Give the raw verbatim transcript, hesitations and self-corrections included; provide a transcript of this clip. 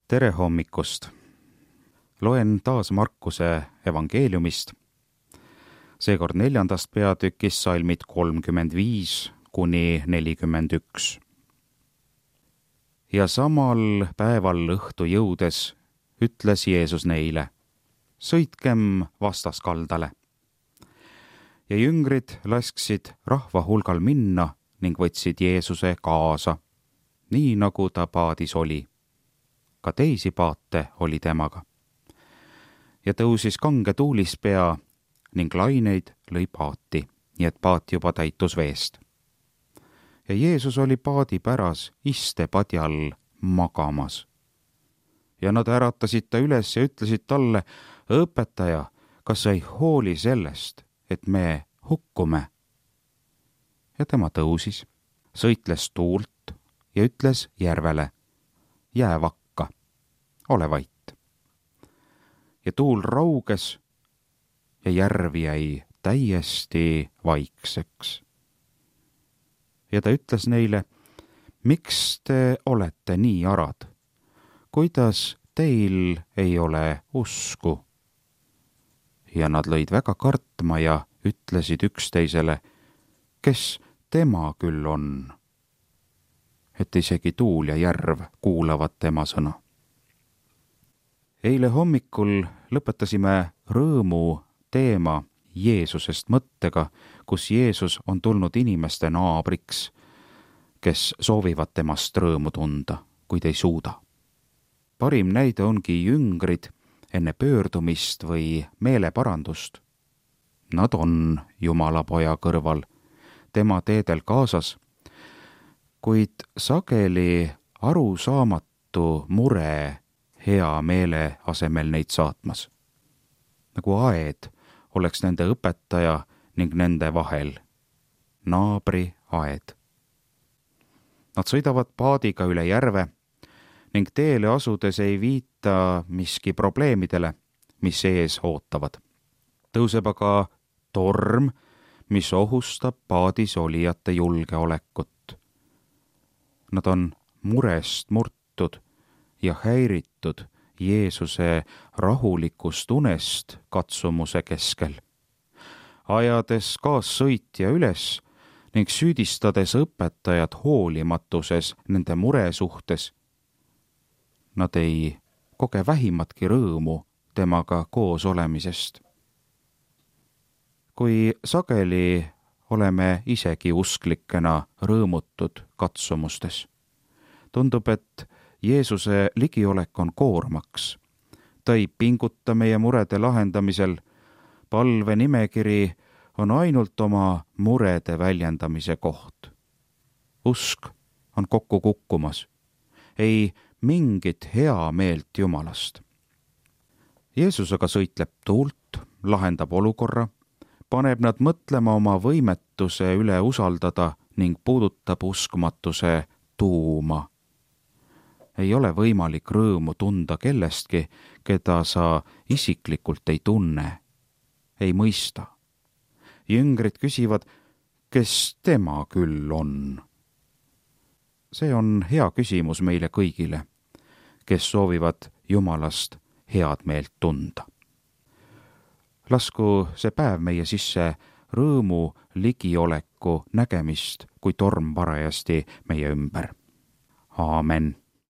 tere hommikust! Loen taas Markuse evangeeliumist, seekord neljandast peatükist salmid kolmkümmend viis kuni nelikümmend üks. Ja samal päeval õhtu jõudes ütles Jeesus neile, sõitkem vastaskaldale. Ja jüngrid lasksid rahva hulgal minna ning võtsid Jeesuse kaasa, nii nagu ta paadis oli. Ka teisi paate oli temaga. Ja tõusis kange tuulispea ning laineid lõi paati, nii et paat juba täitus veest. Ja Jeesus oli paadi päras istepadjal magamas. Ja nad äratasid ta üles ja ütlesid talle, õpetaja, kas sa ei hooli sellest, et me hukkume? Ja tema tõusis, sõitles tuult ja ütles järvele, jää vakka, ole vait. Ja tuul rauges ja järv jäi täiesti vaikseks. Ja ta ütles neile, miks te olete nii arad? Kuidas teil ei ole usku? Ja nad lõid väga kartma ja ütlesid üksteisele, kes tema küll on, et isegi tuul ja järv kuulavad tema sõna. Eile hommikul lõpetasime rõõmu teema Jeesusest mõttega, kus Jeesus on tulnud inimeste naabriks, kes soovivad temast rõõmu tunda, kuid ei suuda. Parim näide ongi jüngrid enne pöördumist või meeleparandust. Nad on Jumala poja kõrval, tema teedel kaasas, kuid sageli arusaamatu mure hea meele asemel neid saatmas. Nagu aed oleks nende õpetaja ning nende vahel, naabri aed. Nad sõidavad paadiga üle järve ning teele asudes ei viita miski probleemidele, mis ees ootavad. Tõuseb aga torm, mis ohustab paadis olijate julgeolekut. Nad on murest murtud ja häiritud Jeesuse rahulikust unest katsumuse keskel. Ajades kaassõitja üles ning süüdistades õpetajad hoolimatuses nende mure suhtes, nad ei koge vähimatki rõõmu temaga koos olemisest. Kui sageli oleme isegi usklikena rõõmutud katsumustes, tundub, et Jeesuse ligiolek on koormaks. Ta ei pinguta meie murede lahendamisel. Palve nimekiri on ainult oma murede väljendamise koht. Usk on kokku kukkumas. Ei mingit hea meelt Jumalast. Jeesus aga sõitleb tuult, lahendab olukorra, paneb nad mõtlema oma võimetuse üle usaldada ning puudutab uskmatuse tuuma. Ei ole võimalik rõõmu tunda kellestki, keda sa isiklikult ei tunne, ei mõista. Jüngrid küsivad, kes tema küll on? See on hea küsimus meile kõigile, kes soovivad Jumalast head meelt tunda. Lasku see päev meie sisse rõõmu ligioleku nägemist, kui torm parajasti meie ümber. Aamen.